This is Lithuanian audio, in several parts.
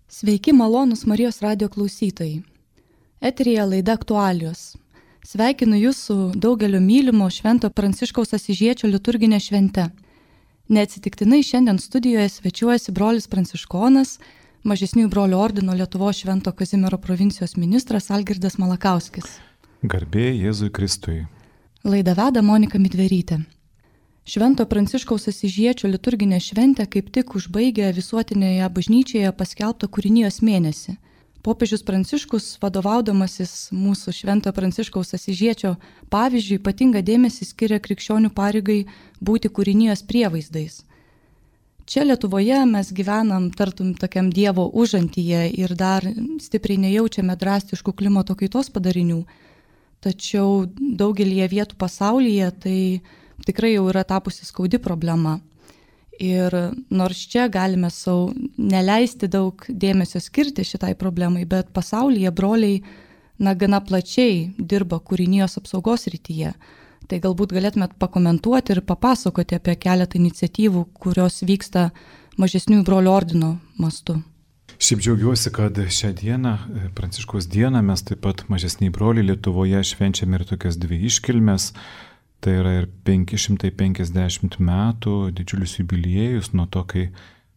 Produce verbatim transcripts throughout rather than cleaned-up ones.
Sveiki, malonūs Marijos radijo klausytojai. Eteryje laida Aktualijos. Sveikinu Jūs su daugelio mylimo Švento Pranciškaus Asyžiečio liturginė švente. Neatsitiktinai šiandien studijoje svečiuojasi brolis Pranciškonas, Mažesniųjų brolių ordino Lietuvos Švento Kazimiero provincijos ministras Algirdas Malakauskis. Garbė Jėzui Kristui. Laidą veda Monika Midverytė. Švento Pranciškaus Asyžiečio liturginė šventė kaip tik užbaigė visuotinėje bažnyčioje paskelbtą kūrinijos mėnesį. Popiežius Pranciškus, vadovaudamasis mūsų Švento Pranciškaus Asyžiečio pavyzdžiui, ypatingą dėmesį skiria krikščionių pareigai būti kūrinijos prievaizdais. Čia Lietuvoje mes gyvenam tartum tokiam Dievo užantyje ir dar stipriai nejaučiame drastiškų klimato kaitos padarinių. Tačiau daugelį vietų pasaulyje tai tikrai jau yra tapusi skaudi problema. Ir nors čia galime savo neleisti daug dėmesio skirti šitai problemai, bet pasaulyje broliai na, gana plačiai dirba kūrinijos apsaugos rytyje. Tai galbūt galėtumėt pakomentuoti ir papasakoti apie keletą iniciatyvų, kurios vyksta Mažesniųjų brolių ordino mastu. Šiaip džiaugiuosi, kad šią dieną, Pranciškaus dieną, mes taip pat Mažesnieji broliai Lietuvoje švenčiame ir tokias dvi iškilmes. Tai yra ir penki šimtai penkiasdešimt metų didžiulis jubiliejus nuo to, kai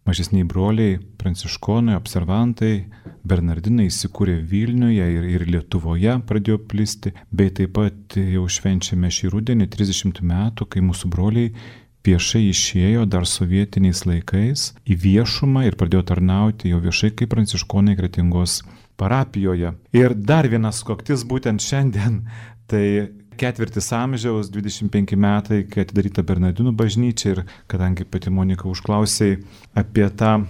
Mažesnieji broliai pranciškonai, observantai, bernardinai įsikūrė Vilniuje ir, ir Lietuvoje pradėjo plisti, bei taip pat jau švenčiame šį rudenį trisdešimt metų, kai mūsų broliai viešai išėjo dar sovietiniais laikais į viešumą ir pradėjo tarnauti jau viešai kaip pranciškonai Kretingos parapijoje. Ir dar vienas sukaktis būtent šiandien, tai ketvirtis amžiaus, dvidešimt penki metai, kai atidaryta Bernardinų bažnyčia ir kadangi pati Monika užklausė apie tą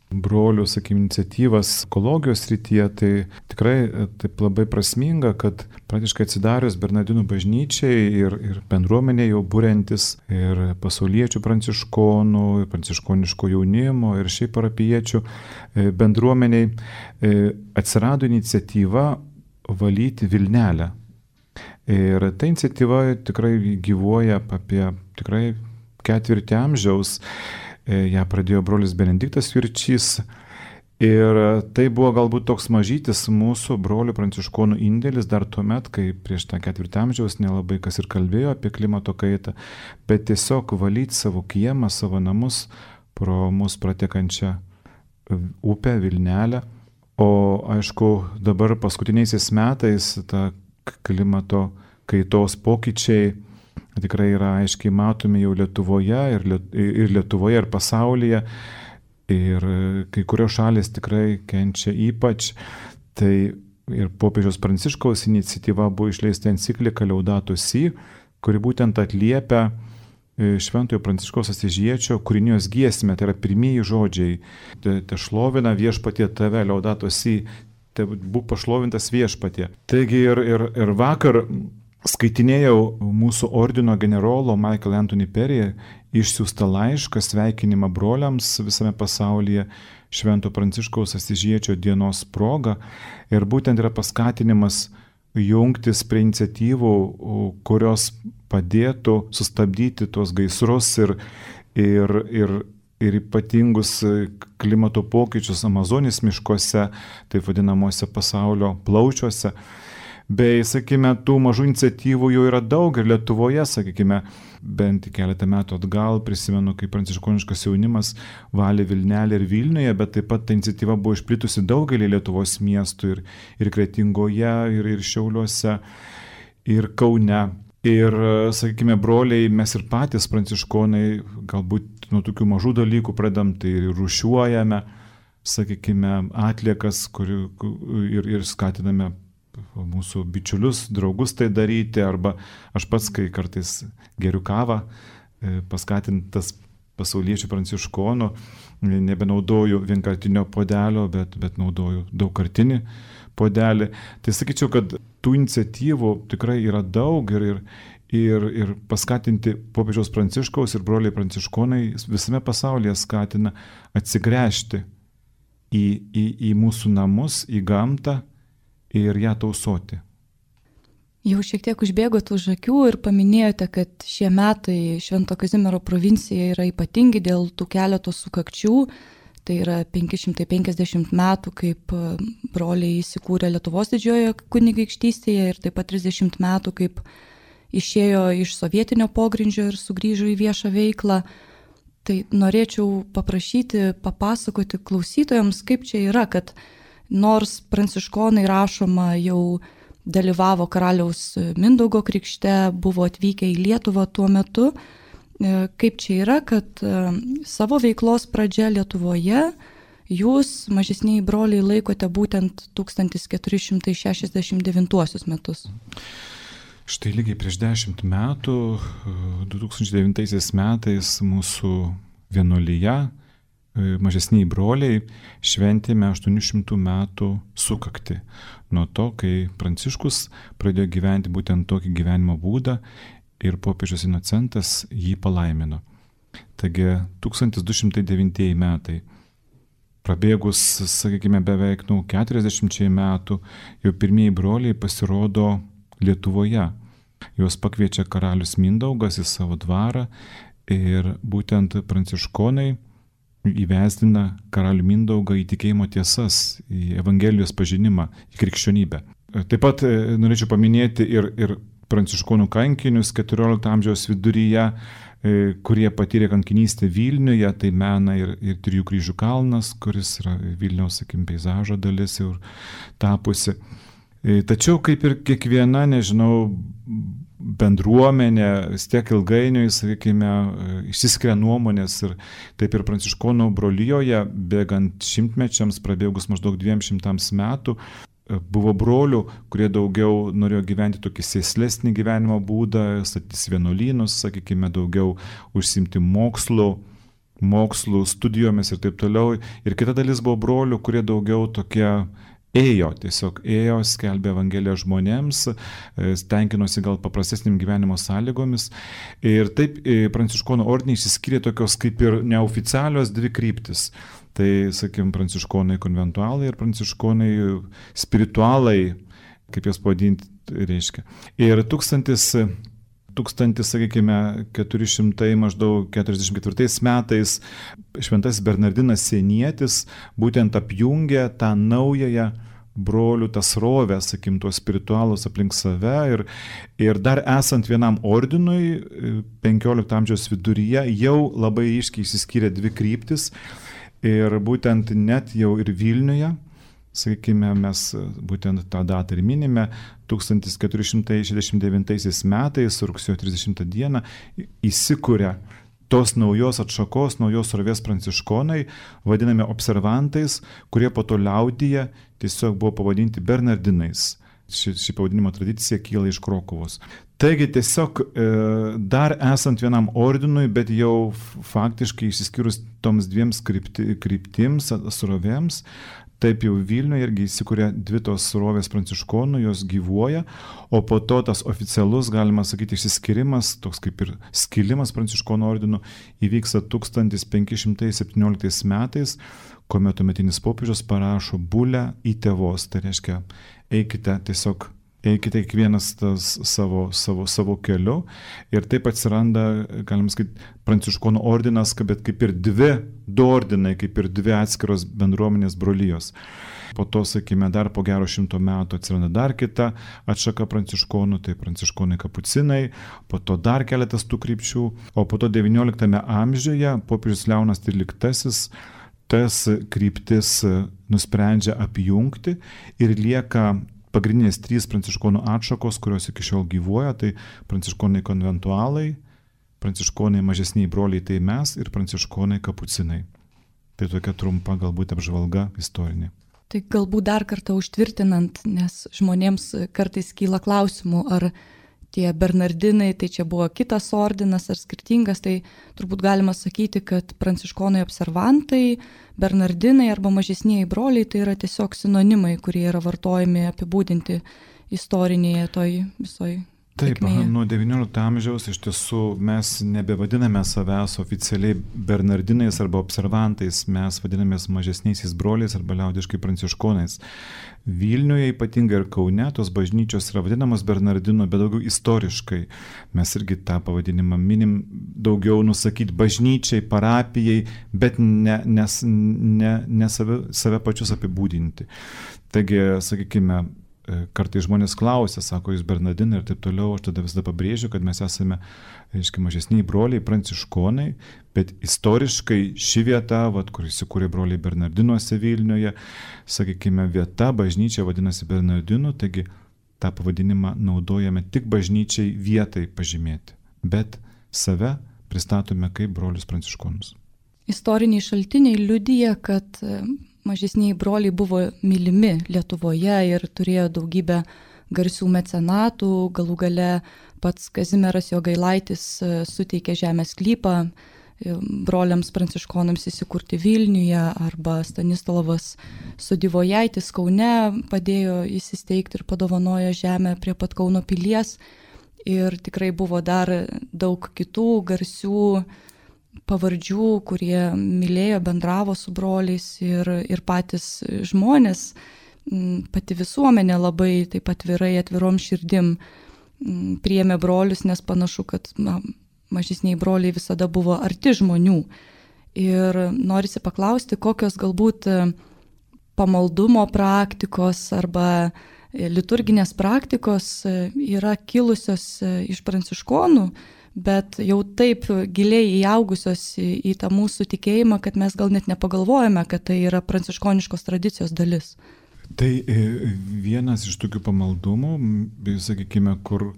brolių, sakykime, iniciatyvas ekologijos srityje, tai tikrai taip labai prasminga, kad praktiškai atsidarius Bernardinų bažnyčiai ir, ir bendruomenė jau būrentis ir pasauliečių pranciškonų, ir pranciškoniško jaunimo ir šiaip parapiečių bendruomeniai atsirado iniciatyva valyti Vilnelę. Ir ta iniciatyva tikrai gyvuoja apie tikrai ketvirtį amžiaus. Ja pradėjo brolis Benediktas Jurčys. Ir tai buvo galbūt toks mažytis mūsų brolių pranciškonų indėlis dar tuomet, kai prieš tą ketvirtį amžiaus nelabai kas ir kalbėjo apie klimato kaitą, bet tiesiog valyti savo kiemą, savo namus pro mus pratekančią upę Vilnelę. O aišku, dabar paskutiniaisiais metais ta klimato kaitos pokyčiai tikrai yra aiškiai matomi jau Lietuvoje ir, Liet- ir Lietuvoje ir pasaulyje. Ir kai kurios šalys tikrai kenčia ypač. Tai ir popiežiaus Pranciškaus iniciatyva buvo išleista enciklika Laudato Si, kuri būtent atliepia Šventojo Pranciškaus Asyžiečio kūrinijos giesmę, tai yra pirmieji žodžiai. Te, te šlovina viešpatie tave, Laudato Si, te būk pašlovintas viešpatie. Taigi ir, ir, ir vakar skaitinėjau mūsų ordino generolo Michael Anthony Perry išsiųstą laišką sveikinimą broliams visame pasaulyje Švento Pranciškaus Asyžiečio dienos proga. Ir būtent yra paskatinimas jungtis prie iniciatyvų, kurios padėtų sustabdyti tuos gaisrus ir, ir, ir, ir ypatingus klimato pokyčius Amazonės miškuose, taip vadinamuose pasaulio plaučiuose. Bei, sakykime, tų mažų iniciatyvų jau yra daug ir Lietuvoje, sakykime, bent keletą metų atgal prisimenu, kai pranciškoniškas jaunimas valė Vilnelę ir Vilniuje, bet taip pat ta iniciatyva buvo išplitusi daugelį Lietuvos miestų ir, ir Kretingoje, ir, ir Šiauliuose, ir Kaune. Ir, sakykime, broliai, mes ir patys pranciškonai galbūt nuo tokių mažų dalykų pradam, tai ir rūšiuojame, sakykime, atliekas kur, ir, ir skatiname mūsų bičiulius, draugus tai daryti, arba aš pats, kai kartais geriu kavą, paskatintas pasauliečių pranciškonų, nebenaudoju vienkartinio puodelio, bet, bet naudoju daugkartinį puodelį. Tai sakyčiau, kad tų iniciatyvų tikrai yra daug ir, ir, ir, ir paskatinti popiežiaus Pranciškaus ir broliai pranciškonai visame pasaulyje skatina atsigręžti į, į, į mūsų namus, į gamtą, ir ją tausoti. Jau šiek tiek užbėgot už akių ir paminėjote, kad šie metai Švento Kazimiero provincija yra ypatingi dėl tų keletos sukakčių. Tai yra penki šimtai penkiasdešimt metų, kaip broliai įsikūrė Lietuvos didžiojoje kunigaikštystėje ir taip pat trisdešimt metų, kaip išėjo iš sovietinio pogrindžio ir sugrįžo į viešą veiklą. Tai norėčiau paprašyti, papasakoti klausytojams, kaip čia yra, kad nors pranciškonai rašoma jau dalyvavo karaliaus Mindaugo krikšte, buvo atvykę į Lietuvą tuo metu, kaip čia yra, kad savo veiklos pradžia Lietuvoje jūs, mažesnieji broliai, laikote būtent tūkstantis keturi šimtai šešiasdešimt devintuosius metus. Štai lygiai prieš dešimt metų, du tūkstančiai devintaisiais metais mūsų vienuolyje, mažesniai broliai, šventėme aštuonių šimtų metų sukaktį nuo to, kai Pranciškus pradėjo gyventi būtent tokį gyvenimo būdą ir popiežius Inocentas jį palaimino. Taigi tūkstantis du šimtai devintieji metai. Prabėgus, sakykime, beveik nu, keturiasdešimčiai metų, jau pirmieji broliai pasirodo Lietuvoje. Juos pakviečia karalius Mindaugas į savo dvarą ir būtent pranciškonai įvesdina karalių Mindaugą į tikėjimo tiesas, į Evangelijos pažinimą, į krikščionybę. Taip pat norėčiau paminėti ir, ir pranciškonų kankinius keturiolikto amžiaus viduryje, kurie patyrė kankinystę Vilniuje, tai mena ir, ir Trijų kryžių kalnas, kuris yra Vilniaus, sakykim, peizažo dalis jau tapusi. Tačiau kaip ir kiekviena, nežinau, bendruomenė, vis tiek ilgainiui, sakykime, išsiskiria nuomonės ir taip ir pranciškonų brolijoje, bėgant šimtmečiams, prabėgus maždaug dviem šimtams metų, buvo brolių, kurie daugiau norėjo gyventi tokį sėslesnį gyvenimo būdą, statys vienuolynus, sakykime, daugiau užsimti mokslu, mokslų studijomis ir taip toliau. Ir kita dalis buvo brolių, kurie daugiau tokie ėjo, tiesiog ėjo, skelbė Evangeliją žmonėms, tenkinosi gal paprastesnėm gyvenimo sąlygomis. Ir taip pranciškonų ordinai išsiskyrė tokios kaip ir neoficialios dvi kryptis. Tai, sakykime, pranciškonai konventualai ir pranciškonai spiritualai, kaip jas pavadinti, reiškia. Ir tūkstantis, tūkstantis, sakykime, keturi šimtai maždaug keturiasdešimt ketvirtais metais šventasis Bernardinas Sienietis būtent apjungė tą naująją brolių tas rovę, sakim, tuos spiritualus aplink save ir, ir dar esant vienam ordinui, penkiolikto amžiaus viduryje, jau labai iškiai išsiskyrė dvi kryptis. Ir būtent net jau ir Vilniuje, sakykime, mes būtent tą datą ir minime, tūkstantis keturi šimtai šešiasdešimt devintaisiais metais, rugsėjo trisdešimtą dieną, įsikuria tos naujos atšakos, naujos rovės pranciškonai, vadinami observantais, kurie po to liaudyje tiesiog buvo pavadinti Bernardinais. Ši, ši pavadinimo tradicija kyla iš Krokuvos. Taigi tiesiog e, dar esant vienam ordinui, bet jau faktiškai išsiskyrus toms dviems krypti, kryptims, srovėms, taip jau Vilniuje irgi įsikūrė dvi tos srovės pranciškonų, jos gyvuoja, o po to tas oficialus, galima sakyti, išsiskyrimas, toks kaip ir skilimas pranciškonų ordinų, įvyksta tūkstantis penki šimtai septynioliktais metais, kuomet tuometinis popiežius parašo bulę į tėvos, tai reiškia, eikite tiesiog, eikite kiekvienas tas savo, savo, savo keliu ir taip atsiranda, galima sakyti, pranciškonų ordinas, bet kaip ir dvi, du ordinai, kaip ir dvi atskiros bendruomenės brolijos. Po to, sakykime, dar po gero šimto metų atsiranda dar kita atšaka pranciškonų, tai pranciškonai kapucinai, po to dar keletas tų krypčių, o po to devynioliktame amžiuje popiežius Leonas tryliktasis tas kryptis nusprendžia apjungti ir lieka pagrindinės trys pranciškonų atšakos, kurios iki šiol gyvuoja, tai pranciškonai konventualai, pranciškonai mažesniai broliai, tai mes ir pranciškonai kapucinai. Tai tokia trumpa galbūt apžvalga istorinė. Tai galbūt dar kartą užtvirtinant, nes žmonėms kartais kyla klausimų, ar tie Bernardinai, tai čia buvo kitas ordinas ar skirtingas, tai turbūt galima sakyti, kad pranciškonai observantai, Bernardinai arba mažesnieji broliai, tai yra tiesiog sinonimai, kurie yra vartojami apibūdinti istorinėje toj visoj Taip, nuo devyniolikto amžiaus iš tiesų mes nebevadiname savęs oficialiai bernardinais arba observantais, mes vadinamės mažesniaisiais broliais arba liaudiškai pranciškonais. Vilniuje ypatingai ir Kaune tos bažnyčios yra vadinamos bernardinų, bet daugiau istoriškai. Mes irgi tą pavadinimą minim daugiau nusakyti bažnyčiai, parapijai, bet ne, nes, ne, ne save, save pačius apibūdinti. Taigi, sakykime, kartais žmonės klausia, sako, jūs bernardinai ir taip toliau, aš tada visada pabrėžiu, kad mes esame, aiškiai, mažesniai broliai, pranciškonai, bet istoriškai ši vieta, vat, kur įsikūrė broliai Bernardinuose Vilniuje, sakykime, vieta, bažnyčia vadinasi Bernardinų, taigi tą pavadinimą naudojame tik bažnyčiai vietai pažymėti, bet save pristatome kaip brolius pranciškonus. Istoriniai šaltiniai liudija, kad mažesniai broliai buvo mylimi Lietuvoje ir turėjo daugybę garsių mecenatų, galų gale pats Kazimieras Jogailaitis suteikė žemės sklypą broliams pranciškonams įsikurti Vilniuje, arba Stanislavas Sudivojaitis Kaune padėjo įsisteigti ir padovanojo žemę prie pat Kauno pilies. Ir tikrai buvo dar daug kitų garsių pavardžių, kurie mylėjo, bendravo su broliais ir, ir patys žmonės, pati visuomenė labai taip atvirai, atvirom širdim priėmė brolius, nes panašu, kad na, mažesniai broliai visada buvo arti žmonių. Ir norisi paklausti, kokios galbūt pamaldumo praktikos arba liturginės praktikos yra kilusios iš pranciškonų, bet jau taip giliai įaugusios į, į tą mūsų tikėjimą, kad mes gal net nepagalvojame, kad tai yra pranciškoniškos tradicijos dalis. Tai vienas iš tokių pamaldumų, sakykime, kur,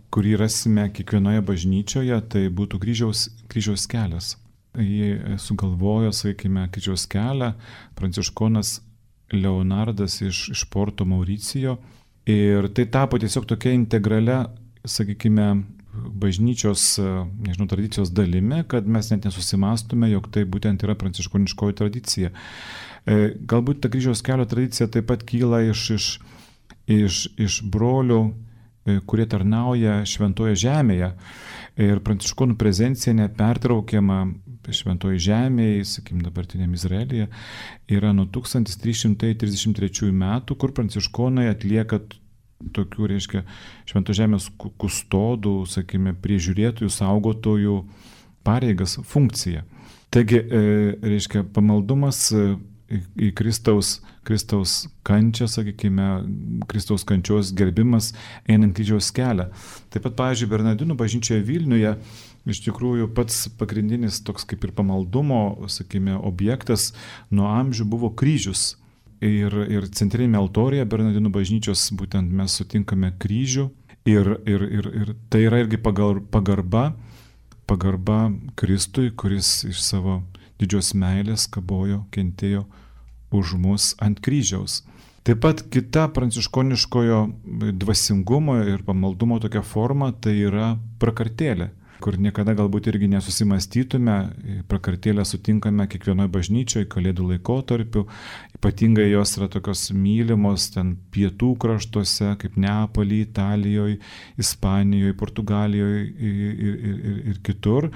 kurį rasime kiekvienoje bažnyčioje, tai būtų kryžiaus, kryžiaus kelias. Jį sugalvojo, sakykime, kryžiaus kelią pranciškonas Leonardas iš, iš Porto Mauricijo. Ir tai tapo tiesiog tokia integralia, sakykime, bažnyčios, nežinau, tradicijos dalimi, kad mes net nesusimastume, jog tai būtent yra pranciškoniškoji tradicija. Galbūt ta kryžiaus kelio tradicija taip pat kyla iš, iš, iš, iš brolių, kurie tarnauja šventoje žemėje. Ir pranciškonų prezencija nepertraukiama šventoje žemėje, sakykim, dabartiniam Izraelyje, yra nuo tūkstantis trys šimtai trisdešimt trečiųjų metų, kur pranciškonai atlieka tokių, reiškia, švento žemės kustodų, sakykime, priežiūrėtojų, saugotojų pareigas, funkciją. Taigi, reiškia, pamaldumas į Kristaus, Kristaus kančią, sakykime, Kristaus kančios gerbimas einant kryžiaus kelią. Taip pat, pavyzdžiui, Bernardinų bažnyčioje Vilniuje iš tikrųjų pats pagrindinis toks kaip ir pamaldumo, sakykime, objektas nuo amžių buvo kryžius. Ir, ir centrinėme altorėje Bernardinų bažnyčios būtent mes sutinkame kryžių ir, ir, ir, ir tai yra irgi pagarba, pagarba Kristui, kuris iš savo didžios meilės kabojo, kentėjo už mus ant kryžiaus. Taip pat kita pranciškoniškojo dvasingumo ir pamaldumo tokia forma tai yra prakartėlė, kur niekada galbūt irgi nesusimastytume, prakartėlę sutinkame kiekvienoje bažnyčioje, kalėdų laikotarpiu, ypatingai jos yra tokios mylimos ten pietų kraštuose, kaip Neapoly, Italijoje, Ispanijoje, Portugalijoje ir, ir, ir, ir kitur.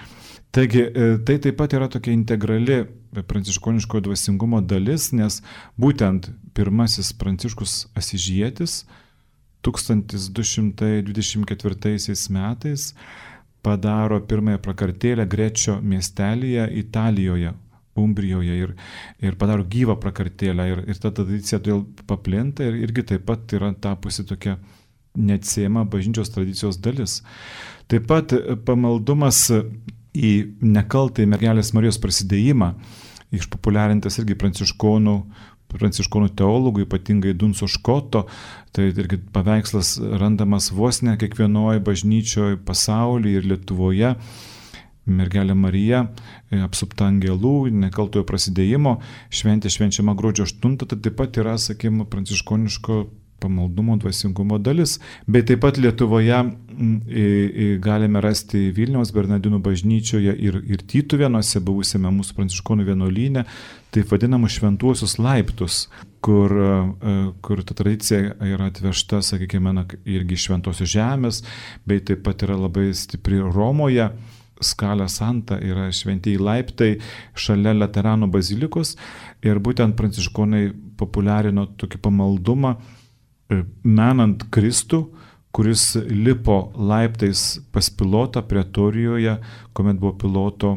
Taigi tai taip pat yra tokia integrali pranciškoniškojo dvasingumo dalis, nes būtent pirmasis Pranciškus Asyžietis tūkstantis du šimtai dvidešimt ketvirtaisiais metais padaro pirmąją prakartėlę Grečio miestelyje Italijoje, Umbrijoje ir, ir padaro gyvą prakartėlę ir, ir ta tradicija todėl paplinta ir irgi taip pat yra tapusi tokia neatsiejama bažnyčios tradicijos dalis. Taip pat pamaldumas į nekaltąjį mergelės Marijos prasidėjimą, išpopuliarintas irgi pranciškonų pranciškonų teologų, ypatingai Dunso Škoto, tai irgi paveikslas randamas vos ne kiekvienoje bažnyčioje pasaulyje ir Lietuvoje. Mergelė Marija, apsupta angelų, nekaltojo prasidėjimo, šventė švenčiama gruodžio aštuntą, tai taip pat yra, sakykime, pranciškoniško pamaldumo, dvasingumo dalis. Bet taip pat Lietuvoje galime rasti Vilniaus Bernardinų bažnyčioje ir, ir Tytuvėnuose, buvusiame mūsų pranciškonų vienuolyne, taip vadinamus šventuosius laiptus, kur, kur ta tradicija yra atvežta, sakykime, irgi šventosios žemės, bei taip pat yra labai stipri Romoje. Scala Santa yra šventieji laiptai šalia Laterano bazilikos ir būtent pranciškonai populiarino tokį pamaldumą, menant Kristų, kuris lipo laiptais pas Pilotą Pretorijoje, kuomet buvo Piloto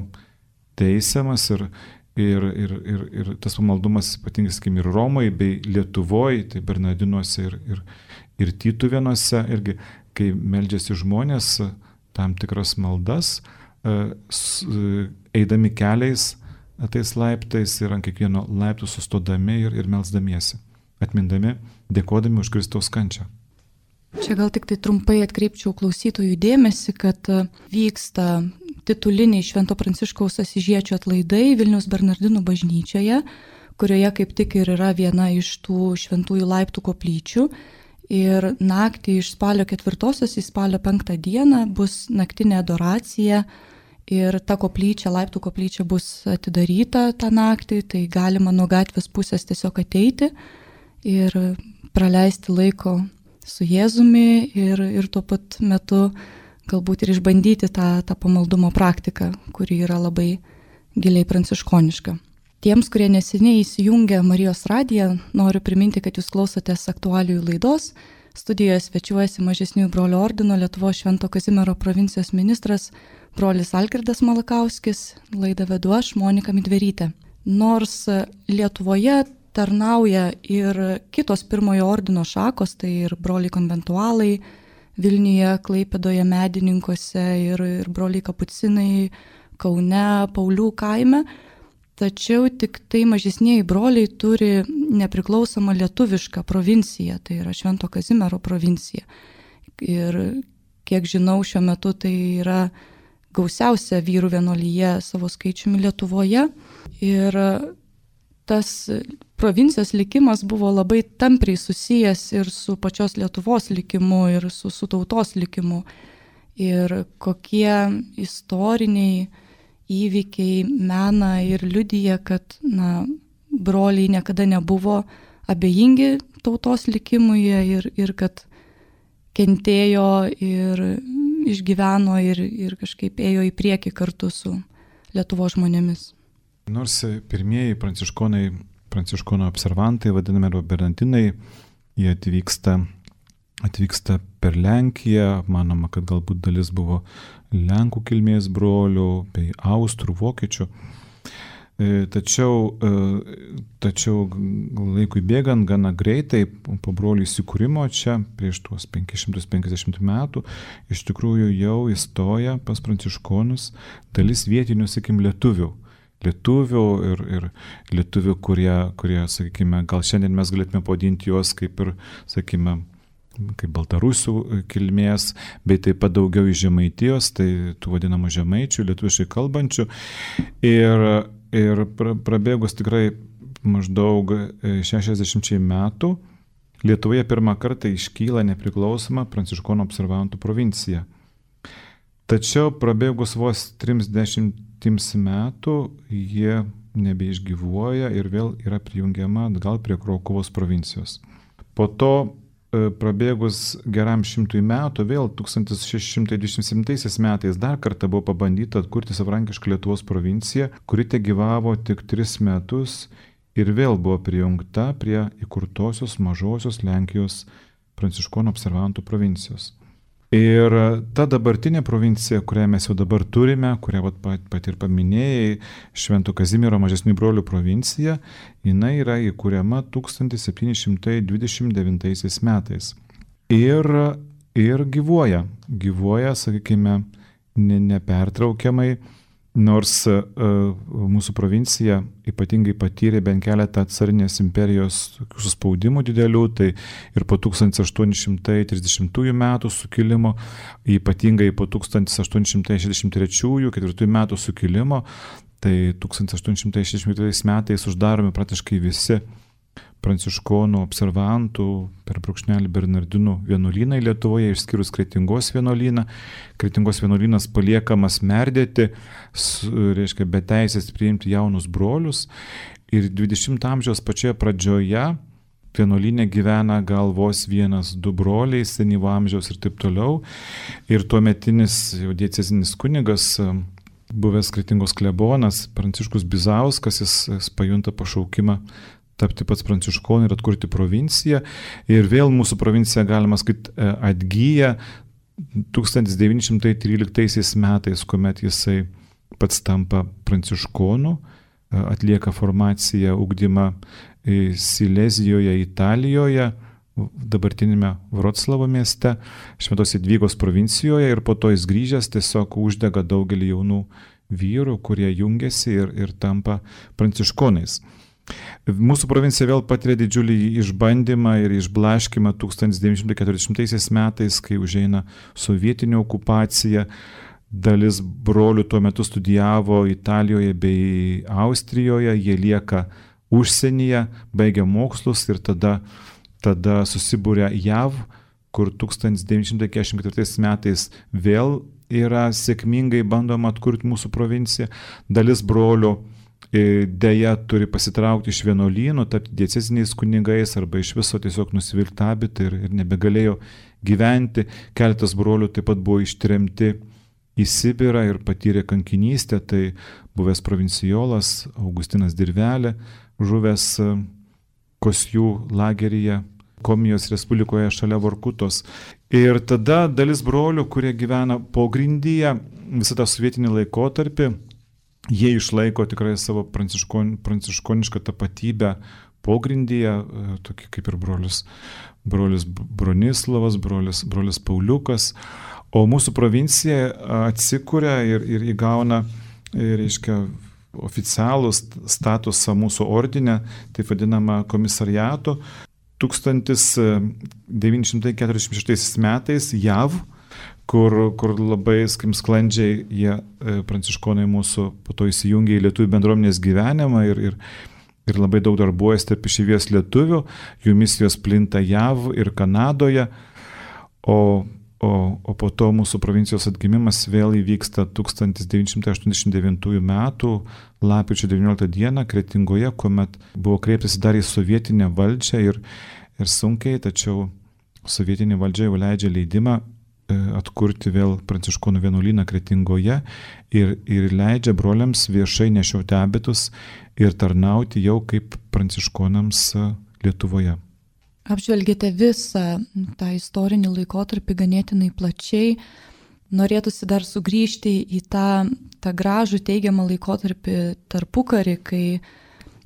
teisiamas ir, ir, ir, ir, ir tas pamaldumas ypatingai, sakykim, ir Romai bei Lietuvoje, tai Bernardinuose ir, ir, ir Tytuvėnuose, irgi kai meldžiasi žmonės tam tikras maldas, eidami keliais tais laiptais ir ant kiekvieno laiptų sustodami ir, ir melsdamiesi, atmindami, dėkodami už Kristaus kančią. Čia gal tik tai trumpai atkreipčiau klausytojų dėmesį, kad vyksta tituliniai Švento Pranciškaus Asyžiečio atlaidai Vilniaus Bernardinų bažnyčioje, kurioje kaip tik ir yra viena iš tų šventųjų laiptų koplyčių. Ir naktį iš spalio ketvirtosios į spalio penktą dieną bus naktinė adoracija ir ta koplyčia, laiptų koplyčia bus atidaryta tą naktį, tai galima nuo gatvės pusės tiesiog ateiti ir praleisti laiko su Jėzumi ir, ir tuo pat metu galbūt ir išbandyti tą, tą pamaldumo praktiką, kuri yra labai giliai pranciškoniška. Tiems, kurie neseniai įsijungė Marijos radiją, noriu priminti, kad jūs klausotės aktualijų laidos. Studijoje svečiuojasi Mažesniųjų brolių ordino Lietuvos Švento Kazimiero provincijos ministras brolis Algirdas Malakauskis, laidą vedu aš, Monika Midverytė. Nors Lietuvoje tarnauja ir kitos pirmojo ordino šakos, tai ir broliai konventualai Vilniuje, Klaipėdoje, Medininkuose ir, ir broliai kapucinai Kaune, Paulių kaime, tačiau tik tai mažesnieji broliai turi nepriklausomą lietuvišką provinciją, tai yra Švento Kazimiero provincija. Ir kiek žinau, šiuo metu tai yra gausiausia vyrų vienuolyje savo skaičiumi Lietuvoje. Ir tas provincijos likimas buvo labai tampriai susijęs ir su pačios Lietuvos likimu, ir su, su tautos likimu. Ir kokie istoriniai įvykiai mena ir liudija, kad na, broliai niekada nebuvo abejingi tautos likimui ir, ir kad kentėjo ir išgyveno ir, ir kažkaip ėjo į priekį kartu su Lietuvos žmonėmis. Nors pirmieji pranciškonai, pranciškonų observantai, vadinami bernardinai, jie atvyksta, atvyksta per Lenkiją, manoma, kad galbūt dalis buvo Lenkų kilmės brolių, bei Austrų, Vokiečių. Tačiau, tačiau laikui bėgant gana greitai po brolių įsikūrimo čia prieš tuos penki šimtai penkiasdešimt metų iš tikrųjų jau įstoja pas pranciškonus dalis vietinių, sakykim, lietuvių. Lietuvių ir, ir lietuvių, kurie, kurie, sakykime, gal šiandien mes galėtume pavadinti juos kaip ir, sakykime, kaip baltarusių kilmės, bei taip pat daugiau iš Žemaitijos, tai tų vadinamų žemaičių, lietuviškai kalbančių. Ir, ir prabėgus tikrai maždaug šešiasdešimčiai metų Lietuvoje pirmą kartą iškyla nepriklausoma pranciškonų observantų provincija. Tačiau prabėgus vos trisdešimtims metų jie nebeišgyvuoja ir vėl yra prijungiama atgal prie Krokuvos provincijos. Po to prabėgus geram šimtui metų, vėl tūkstantis šeši šimtai dvidešimt septintaisiais metais dar kartą buvo pabandyta atkurti savarankišką Lietuvos provinciją, kuri tegyvavo tik tris metus ir vėl buvo prijungta prie įkurtosios mažosios Lenkijos pranciškonų observantų provincijos. Ir ta dabartinė provincija, kurią mes jau dabar turime, kurią pat, pat ir paminėjai, Švento Kazimiero Mažesniųjų brolių provincija, jinai yra įkuriama tūkstantis septyni šimtai dvidešimt devintaisiais metais. Ir, ir gyvuoja, gyvuoja, sakykime, ne, nepertraukiamai, nors uh, mūsų provincija ypatingai patyrė bent keletą carinės imperijos suspaudimų didelių, tai ir po tūkstantis aštuoni šimtai trisdešimtųjų metų sukilimo, ypatingai po tūkstantis aštuoni šimtai šešiasdešimt trečiųjų ketvirtųjų metų sukilimo, tai tūkstantis aštuoni šimtai šešiasdešimt ketvirtais metais uždaromi praktiškai visi pranciškonų observantų per brūkšnelį Bernardinų vienuolyną Lietuvoje, išskyrus Kretingos vienuolyną. Kretingos vienuolynas paliekamas merdėti, reiškia, be teisės priimti jaunus brolius. Ir dvidešimto amžiaus pačioje pradžioje vienuolyne gyvena gal vos vienas, du broliai, senyvo amžiaus ir taip toliau. Ir tuometinis jau diecezinis kunigas, buvęs Kretingos klebonas Pranciškus Bizauskas, jis, jis pajunta pašaukimą tapti pats pranciškonu ir atkurti provinciją. Ir vėl mūsų provincija, galima sakyti, atgyja tūkstantis devyni šimtai tryliktaisiais metais, kuomet jisai pats tampa pranciškonu, atlieka formaciją, ugdymą Silezijoje, Italijoje, dabartinėme Vroclavo mieste, Šventos Jadvygos provincijoje, ir po to jis grįžęs tiesiog uždega daugelį jaunų vyrų, kurie jungiasi ir, ir tampa pranciškonais. Mūsų provincija vėl patiria didžiulį išbandymą ir išblaškimą tūkstantis devyni šimtai keturiasdešimtaisiais metais, kai užeina sovietinė okupacija. Dalis brolių tuo metu studijavo Italijoje bei Austrijoje, jie lieka užsienyje, baigia mokslus ir tada, tada susibūrė J A V, kur tūkstantis devyni šimtai keturiasdešimt ketvirtais metais vėl yra sėkmingai bandoma atkurti mūsų provinciją. Dalis brolių dėja turi pasitraukti iš vienuolynų, tapti dieceziniais kunigais arba iš viso tiesiog nusivilti abitą ir, ir nebegalėjo gyventi. Keletas brolių taip pat buvo ištremti į Sibirą ir patyrė kankinystę. Tai buvęs provincijolas Augustinas Dirvelė, žuvęs Kosjų lageryje Komijos Respublikoje šalia Vorkutos. Ir tada dalis brolių, kurie gyvena pogrindyje visą tą sovietinį laikotarpį, jie išlaiko tikrai savo pranciškon, pranciškonišką tapatybę pogrindyje, tokie kaip ir brolius, brolius Bronislavas, brolius, brolius Pauliukas. O mūsų provincija atsikuria ir, ir įgauna, reiškia, oficialų statusą mūsų ordine, taip vadinama komisariato. tūkstantis devyni šimtai keturiasdešimt šeštais metais J A V, kur, kur labai sklandžiai jie, pranciškonai mūsų, po to įsijungė į lietuvių bendruomenės gyvenimą ir, ir, ir labai daug darbuojasi tarp išeivijos lietuvių, jų misijos plinta J A V ir Kanadoje, o, o, o po to mūsų provincijos atgimimas vėl įvyksta tūkstantis devyni šimtai aštuoniasdešimt devintųjų metų lapkričio devynioliktą dieną Kretingoje, kuomet buvo kreiptasi dar į sovietinę valdžią ir, ir sunkiai, tačiau sovietinė valdžia jau leidžia leidimą atkurti vėl pranciškonų vienuolyną Kretingoje ir, ir leidžia broliams viešai nešioti abitus ir tarnauti jau kaip pranciškonams Lietuvoje. Apžvelgėte visą tą istorinį laikotarpį ganėtinai plačiai. Norėtųsi dar sugrįžti į tą, tą gražų teigiamą laikotarpį tarpukarį, kai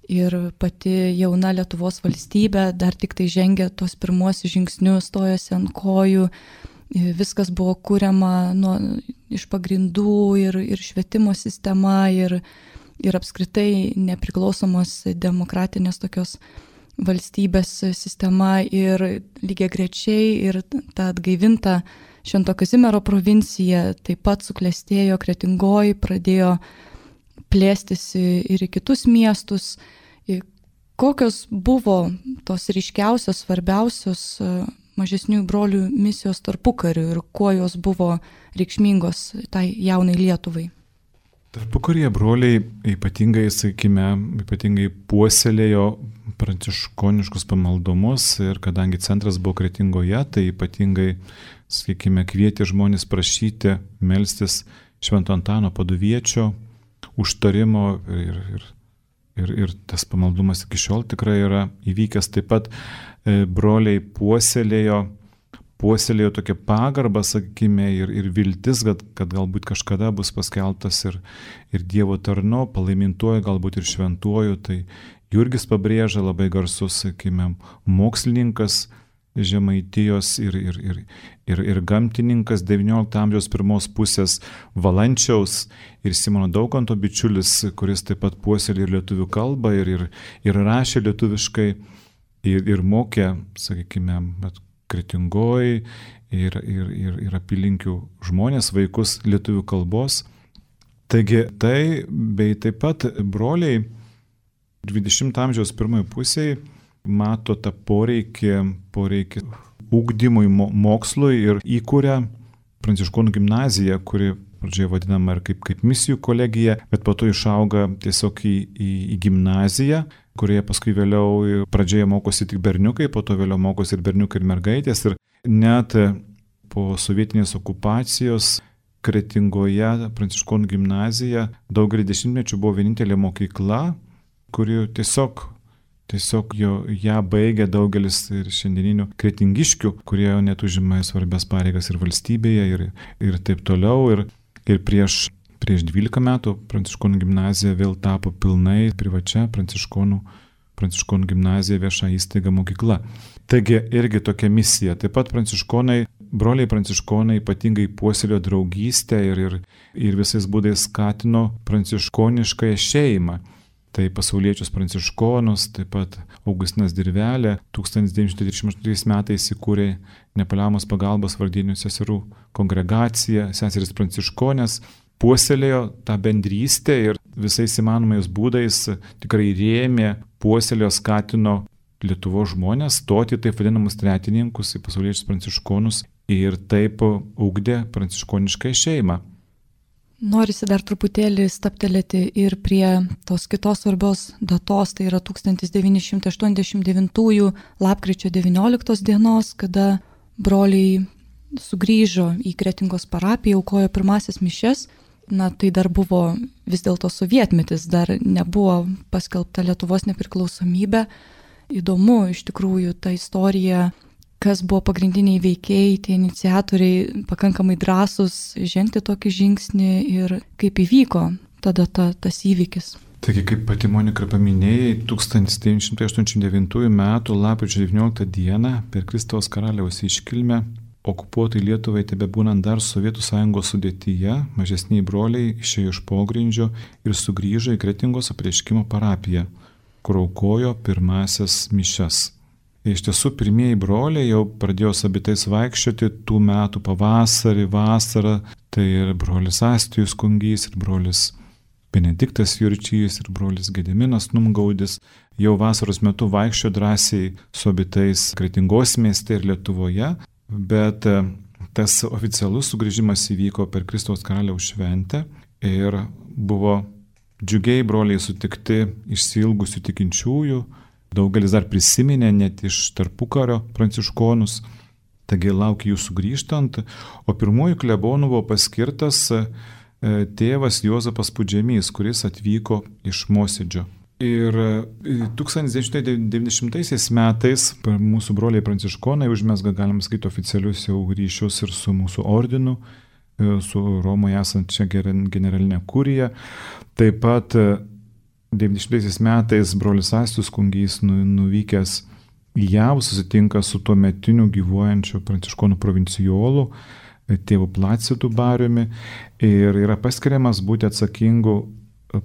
ir pati jauna Lietuvos valstybė dar tik tai žengia tos pirmuosius žingsnius, stojosi ant kojų. Viskas buvo kuriama nuo, iš pagrindų ir, ir švietimo sistema ir, ir apskritai nepriklausomos demokratinės tokios valstybės sistema ir lygiagrečiai ir ta atgaivinta Švento Kazimiero provincija taip pat suklestėjo Kretingoj, pradėjo plėstis ir į kitus miestus. Kokios buvo tos ryškiausios, svarbiausios mažesnių brolių misijos tarpukariu ir kuo jos buvo reikšmingos tai jaunai Lietuvai? Tarpukaryje broliai ypatingai, sakykime, ypatingai puoselėjo pranciškoniškus pamaldumus ir kadangi centras buvo Kretingoje, tai ypatingai, sakykime, kvietė žmonės prašyti melstis Švento Antano Paduviečio užtarimo ir, ir, ir, ir tas pamaldumas iki šiol tikrai yra įvykęs. Taip pat broliai puoselėjo, puoselėjo tokią pagarbą, sakykime, ir, ir viltis, kad, kad galbūt kažkada bus paskelbtas ir, ir Dievo tarnu, palaimintuoju, galbūt ir šventuoju. Tai Jurgis Pabrėža, labai garsus, sakykime, mokslininkas Žemaitijos ir, ir, ir, ir, ir gamtininkas devyniolikto amžiaus pirmos pusės Valančiaus ir Simono Daukanto bičiulis, kuris taip pat puoselėjo ir lietuvių kalbą ir, ir, ir rašė lietuviškai. Ir, ir mokė, sakykime, Kretingoj ir, ir, ir, ir apylinkių žmonės, vaikus lietuvių kalbos. Taigi tai, bei taip pat broliai dvidešimto amžiaus pirmoje pusėje mato tą poreikį, poreikį ugdymui, mokslui ir įkūrė Pranciškonų gimnaziją, kuri pradžioje vadinama ir kaip, kaip misijų kolegija, bet po to išauga tiesiog į, į, į gimnaziją, kurioje paskui vėliau pradžioje mokosi tik berniukai, po to vėliau mokosi ir berniukai ir mergaitės. Ir net po sovietinės okupacijos Kretingoje Pranciškonų gimnazija daugelį dešimtmečių buvo vienintelė mokykla, kuri tiesiog Tiesiog jo, ją baigė daugelis ir šiandieninių kretingiškių, kurie net užima svarbias pareigas ir valstybėje ir, ir taip toliau. Ir, ir prieš, prieš dvylika metų Pranciškonų gimnazija vėl tapo pilnai privačia Pranciškonų, Pranciškonų gimnazija vieša įstaiga mokykla. Taigi irgi tokia misija. Taip pat pranciškonai, broliai pranciškonai ypatingai puoselėjo draugystę ir, ir, ir visais būdais skatino pranciškoniškąją šeimą. Tai pasauliečius pranciškonus, taip pat Augustinas Dirvelė tūkstantis devyni šimtai trisdešimt aštuntais metais įkūrė Nepaliaujamos pagalbos vargdienių seserų kongregaciją, seseris pranciškonės, puoselėjo tą bendrystę ir visais įmanomais būdais tikrai rėmė, puoselėjo, skatino Lietuvos žmonės stoti taip vadinamus tretininkus į pasauliečius pranciškonus ir taip ugdė pranciškonišką šeimą. Norisi dar truputėlį staptelėti ir prie tos kitos svarbios datos, tai yra tūkstantis devyni šimtai aštuoniasdešimt devintųjų lapkričio devynioliktos dienos, kada broliai sugrįžo į Kretingos parapiją, aukojo pirmasis mišias. Na, tai dar buvo vis dėlto sovietmetis, dar nebuvo paskelbta Lietuvos nepriklausomybė. Įdomu iš tikrųjų ta istorija, kas buvo pagrindiniai veikėjai, tie iniciatoriai, pakankamai drąsūs žengti tokį žingsnį ir kaip įvyko tada ta, tas įvykis. Taigi, kaip pati Monika paminėjai, tūkstantis devyni šimtai aštuoniasdešimt devintųjų metų lapkričio devynioliktą dieną per Kristaus karaliaus iškilmę okupuotai Lietuvai tebebūnant dar Sovietų sąjungos sudėtyje, mažesniai broliai išėjo iš pogrindžio ir sugrįžo į Kretingos apreiškimo parapiją, kur aukojo pirmasias mišias. Iš tiesų, pirmieji broliai jau pradėjo sabitais vaikščioti tų metų pavasarį, vasarą, tai ir brolis Astijus Kungys, ir brolis Benediktas Jurčys, ir brolis Gediminas Numgaudis. Jau vasaros metu vaikščio drąsiai sabitais Kretingos mieste ir Lietuvoje, bet tas oficialus sugrįžimas įvyko per Kristaus karaliaus šventę ir buvo džiugiai broliai sutikti išsiilgusių tikinčiųjų. Daugelis dar prisiminė net iš tarpukario pranciškonus, taigi laukia jų sugrįžtant, o pirmųjų klebonų buvo paskirtas tėvas Juozapas Pudžemys, kuris atvyko iš Mosėdžio. Ir tūkstantis devyni šimtai devyniasdešimtaisiais metais mūsų broliai pranciškonai užmesga, galim sakyti, oficialius jau ryšius ir su mūsų ordinu, su Romoje esančia generalinė kurija. Taip pat devyniasdešimtaisiais metais brolis Astijus Kungys nuvykęs į J A V susitinka su tuo metiniu gyvuojančiu pranciškonų provincijolu, tėvu Placidu Bariumi, ir yra paskiriamas būti atsakingu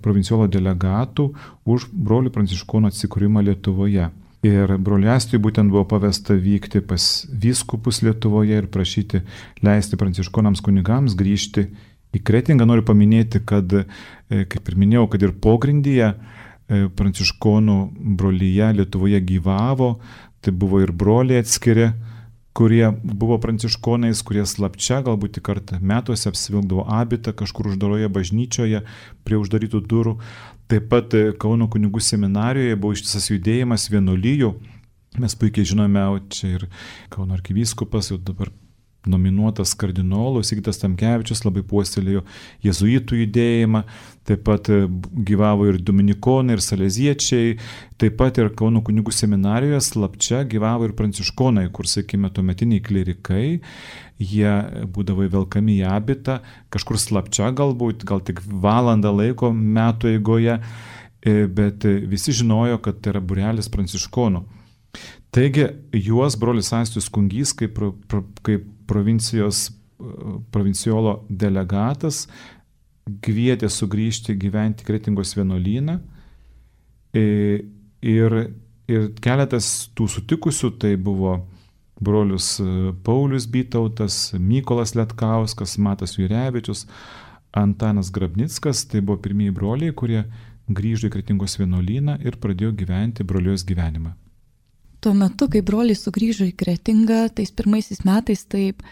provincijolo delegatų už brolių pranciškonų atsikūrimą Lietuvoje. Ir broliui Astijui būtent buvo pavesta vykti pas vyskupus Lietuvoje ir prašyti leisti pranciškonams kunigams grįžti į Kretingą. Noriu paminėti, kad, kaip ir minėjau, kad ir pogrindyje pranciškonų brolyje Lietuvoje gyvavo, tai buvo ir broliai atskiri, kurie buvo pranciškonais, kurie slapčia galbūt tik kartą metuose apsivilkdavo abitą kažkur uždaroje bažnyčioje prie uždarytų durų. Taip pat Kauno kunigų seminarijoje buvo ištisas judėjimas vienuolijų. Mes puikiai žinome, čia ir Kauno arkivyskupas jau dabar nominuotas kardinolų Sigitas Tamkevičius labai puoselėjo jėzuitų judėjimą, taip pat gyvavo ir dominikonai, ir saleziečiai, taip pat ir Kauno kunigų seminarijoje slapčia gyvavo ir pranciškonai, kur, sakykime, tuometiniai klerikai, jie būdavo įvelkami į abitą, kažkur slapčia galbūt, gal tik valandą laiko metų eigoje, bet visi žinojo, kad tai yra būrelis pranciškonų. Taigi juos brolis Astijus Kungys kaip, kaip provincijos, provincijolo delegatas kvietė sugrįžti gyventi Kretingos vienuolyną ir, ir keletas tų sutikusių tai buvo brolius Paulius Bytautas, Mykolas Letkauskas, Matas Jurevičius, Antanas Grabnickas, tai buvo pirmieji broliai, kurie grįžo į Kretingos vienuolyną ir pradėjo gyventi brolijos gyvenimą. Tuo metu, kai broliai sugrįžo į Kretingą, tais pirmaisiais metais, taip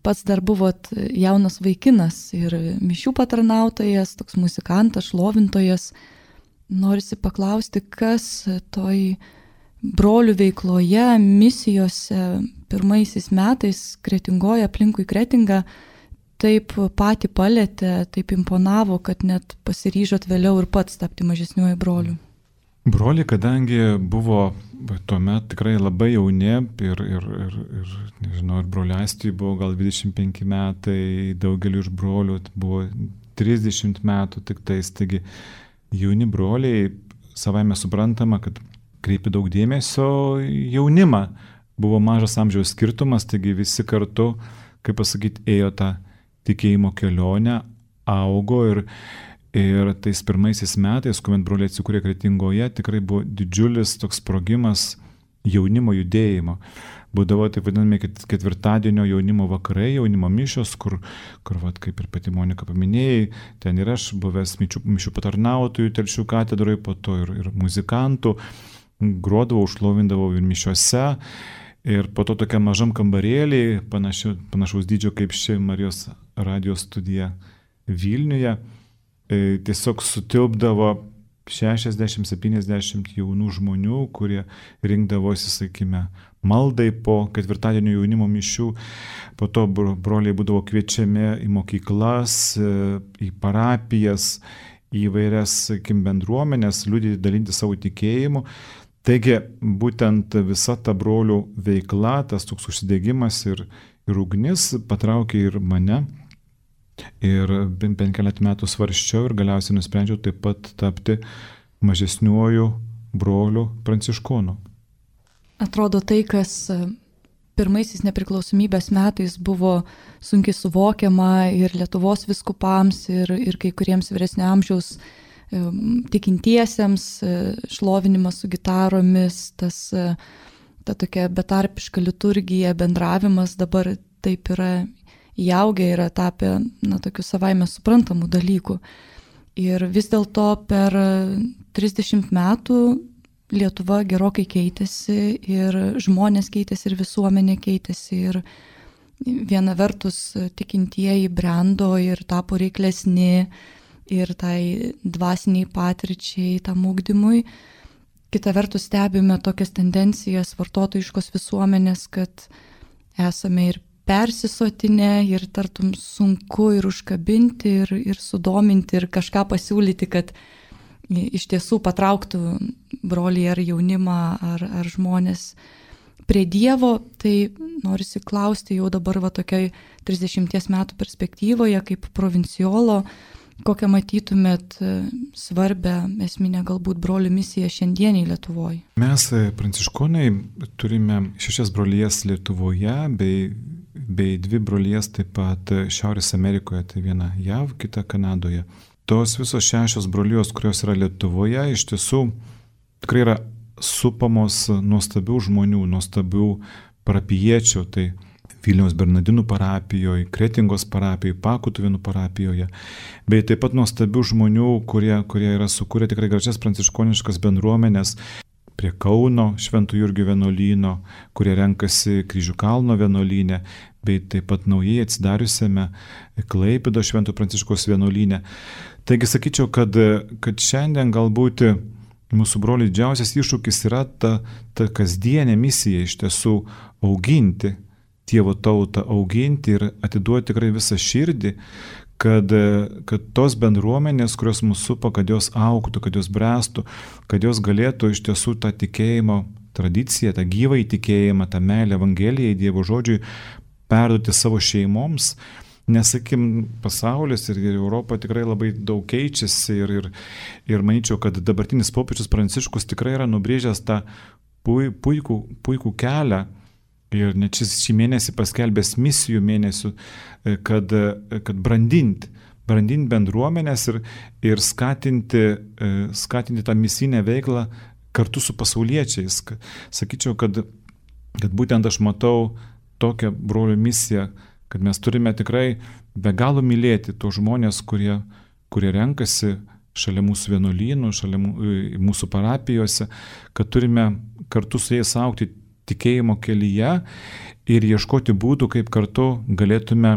pats dar buvot jaunas vaikinas ir mišių patarnautojas, toks muzikantas, šlovintojas. Norisi paklausti, kas toj brolių veikloje, misijose pirmaisiais metais Kretingoje, aplinkui Kretingą, taip patį palėtė, taip imponavo, kad net pasiryžot vėliau ir pats tapti mažesniuoju broliu. Broliai, kadangi buvo tuomet tikrai labai jauni ir, ir, ir, ir nežinau, ir broliui Aistijui buvo gal dvidešimt penki metai, daugeliu iš brolių buvo trisdešimt metų tik tais, taigi jauni broliai, savaime suprantama, kad kreipia daug dėmesio jaunimą. Buvo mažas amžiaus skirtumas, taigi visi kartu, kaip pasakyti, ėjo tą tikėjimo kelionę, augo ir Ir tais pirmaisiais metais, kuomet broliai atsikūrė Kretingoje, tikrai buvo didžiulis toks sprogimas jaunimo judėjimo. Būdavo taip vadinami ketvirtadienio jaunimo vakarai, jaunimo mišios, kur, kur vat, kaip ir pati Monika paminėjai, ten ir aš buvęs mišių, mišių patarnautojų Telšių katedroje, po to ir, ir muzikantų, grodavau, šlovindavau ir mišiuose. Ir po to tokia mažam kambarėlį, panašiu, panašaus dydžio kaip ši Marijos radijos studija Vilniuje, tiesiog sutilpdavo šešiasdešimt septyniasdešimt jaunų žmonių, kurie rinkdavosi, sakykime, maldai po ketvirtadienio jaunimo mišių. Po to broliai būdavo kviečiami į mokyklas, į parapijas, į vairias, sakykime, bendruomenės, liudyti, dalinti savo tikėjimu. Taigi, būtent visa ta brolių veikla, tas toks užsidegimas ir, ir ugnis patraukė ir mane. Ir bent keletą metų svarsčiau ir galiausiai nusprendžiau taip pat tapti mažesniuoju broliu pranciškonu. Atrodo, tai, kas pirmaisiais nepriklausomybės metais buvo sunkiai suvokiama ir Lietuvos vyskupams, ir, ir kai kuriems vyresnio amžiaus tikintiesiems, šlovinimas su gitaromis, tas, ta tokia betarpiška liturgija, bendravimas dabar taip yra įaugę, yra tapę, na, tokių savaime suprantamų dalykų. Ir vis dėlto per trisdešimt metų Lietuva gerokai keitėsi ir žmonės keitėsi ir visuomenė keitėsi ir viena vertus tikintieji brendo ir tapo reiklesni ir tai dvasiniai patirčiai, tam ugdymui. Kita vertus stebime tokias tendencijas vartotojiškos visuomenės, kad esame ir persisotinę ir tartum sunku ir užkabinti ir, ir sudominti ir kažką pasiūlyti, kad iš tiesų patrauktų brolį ar jaunimą ar, ar žmonės prie Dievo. Tai norisi klausti jau dabar va tokiai trisdešimties metų perspektyvoje kaip provinciolo, kokią matytumėt svarbę esminę galbūt brolių misiją šiandieniai Lietuvoje. Mes pranciškonai turime šešias brolijas Lietuvoje bei bei dvi brolijas taip pat Šiaurės Amerikoje, tai viena J A V, kita Kanadoje. Tos visos šešios brolijos, kurios yra Lietuvoje, iš tiesų tikrai yra supamos nuostabių žmonių, nuostabių parapijiečių, tai Vilniaus Bernardinų parapijoje, Kretingos parapijoje, Pakutuvėnų parapijoje, bei taip pat nuostabių žmonių, kurie, kurie yra sukūrę tikrai gražias pranciškoniškas bendruomenės, prie Kauno Švento Jurgio vienuolyno, kurie renkasi Kryžių kalno vienuolyne, bei taip pat naujai atsidariusiame Klaipėdos Švento Pranciškaus vienuolyne. Taigi sakyčiau, kad, kad šiandien galbūt mūsų brolių didžiausias iššūkis yra ta, ta kasdienė misija iš tiesų auginti Dievo tautą, auginti ir atiduoti tikrai visą širdį, kad, kad tos bendruomenės, kurios mūsų supa, kad jos augtų, kad jos bręstų, kad jos galėtų iš tiesų tą tikėjimo tradiciją, tą gyvą įtikėjimą, tą meilę Evangelijai, Dievo žodžiui perduoti savo šeimoms. Nes, sakim, pasaulis ir Europa tikrai labai daug keičiasi ir, ir, ir manyčiau, kad dabartinis popiežius Pranciškus tikrai yra nubrėžęs tą puikų, puikų kelią. Ir net šis šį mėnesį paskelbęs misijų mėnesių, kad, kad brandinti, brandinti bendruomenės ir, ir skatinti, skatinti tą misijinę veiklą kartu su pasauliečiais. Sakyčiau, kad, kad būtent aš matau tokią brolių misiją, kad mes turime tikrai be galo mylėti tos žmonės, kurie, kurie renkasi šalia mūsų vienuolynų, šalia mūsų parapijose, kad turime kartu su jais augti tikėjimo kelyje ir ieškoti būdų, kaip kartu galėtume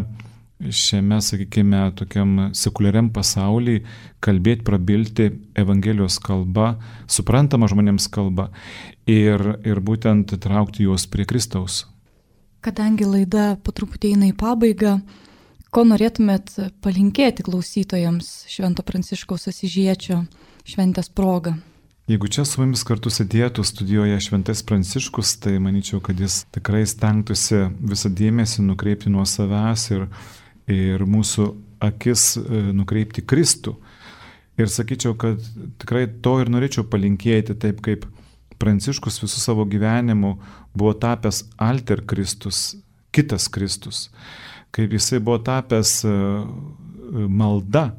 šiame, sakykime, tokiam sekuliariam pasaulyje kalbėti, prabilti Evangelijos kalba, suprantama žmonėms kalba ir, ir būtent traukti juos prie Kristaus. Kadangi laida po truputį eina į pabaigą, ko norėtumėt palinkėti klausytojams Švento Pranciškaus Asyžiečio šventės proga? Jeigu čia su mumis kartu sėdėtų studijoje Šventas Pranciškus, tai manyčiau, kad jis tikrai stengtųsi visą dėmesį nukreipti nuo savęs ir, ir mūsų akis nukreipti Kristų. Ir sakyčiau, kad tikrai to ir norėčiau palinkėti, taip kaip Pranciškus visų savo gyvenimu buvo tapęs alter Kristus, kitas Kristus, kaip jisai buvo tapęs malda.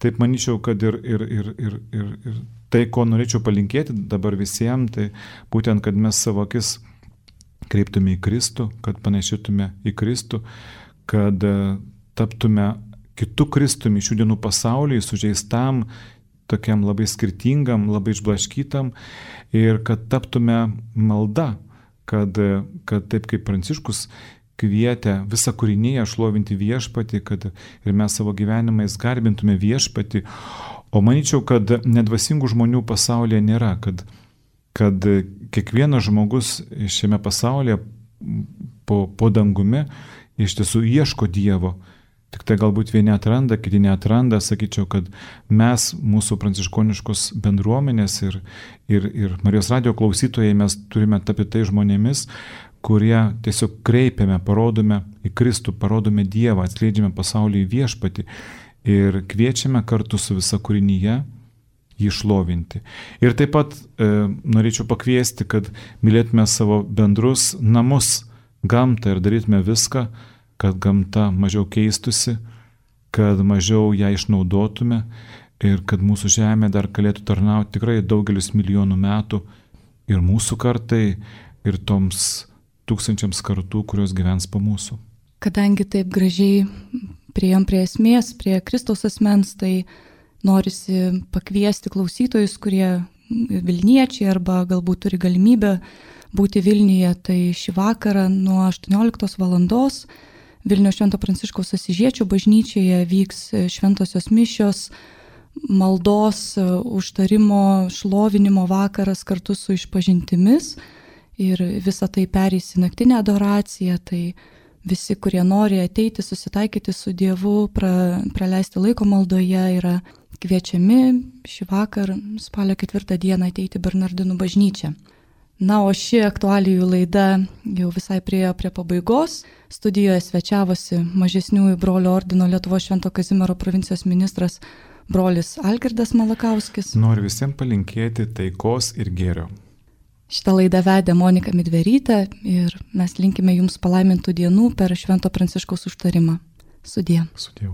Taip manyčiau, kad ir, ir, ir, ir, ir, ir tai, ko norėčiau palinkėti dabar visiems, tai būtent, kad mes savo akis kreiptume į Kristų, kad panašytume į Kristų, kad taptume kitų Kristumi šių dienų pasaulyje, sužeistam, tokiam labai skirtingam, labai išblaškytam ir kad taptume malda, kad, kad taip kaip Pranciškus kvietė visą kūriniją šlovinti viešpatį, kad ir mes savo gyvenimais garbintume viešpatį. O manyčiau, kad nedvasingų žmonių pasaulyje nėra, kad, kad kiekvienas žmogus šiame pasaulyje po, po dangumi iš tiesų ieško Dievo. Tik tai galbūt vieni atranda, kiti neatranda. Sakyčiau, kad mes, mūsų pranciškoniškos bendruomenės ir, ir, ir Marijos radijo klausytojai, mes turime tapti tai žmonėmis, kurie tiesiog kreipiame, parodome į Kristų, parodome Dievą, atskleidžiame pasaulį į viešpatį ir kviečiame kartu su visa kūrinyje jį šlovinti. Ir taip pat e, norėčiau pakviesti, kad mylėtume savo bendrus namus, gamtą ir darytume viską, kad gamta mažiau keistusi, kad mažiau ją išnaudotume ir kad mūsų žemė dar galėtų tarnauti tikrai daugelis milijonų metų ir mūsų kartai, ir toms tūkstančiams kartų, kurios gyvens po mūsų. Kadangi taip gražiai priėjom prie esmės, prie Kristaus asmens, tai norisi pakviesti klausytojus, kurie Vilniečiai arba galbūt turi galimybę būti Vilniuje, tai šį vakarą nuo aštuonioliktos valandos Vilniaus Švento Pranciškaus Asyžiečio bažnyčioje vyks šventosios mišios, maldos, užtarimo, šlovinimo vakaras kartu su išpažintimis ir visa tai pereis į naktinę adoraciją, tai visi, kurie nori ateiti, susitaikyti su Dievu, pra, praleisti laiko maldoje, yra kviečiami šį vakar, spalio ketvirtą dieną ateiti Bernardinų bažnyčią. Na, o ši aktualijų laida jau visai priejo prie pabaigos. Studijoje svečiavosi mažesniųjų brolių ordino Lietuvos Švento Kazimiero provincijos ministras brolis Algirdas Malakauskis. Noriu visiems palinkėti taikos ir gėrio. Šitą laidą vedė Monika Midverytė ir mes linkime jums palaimintų dienų per Švento Pranciškaus užtarimą. Sudie. Sudie.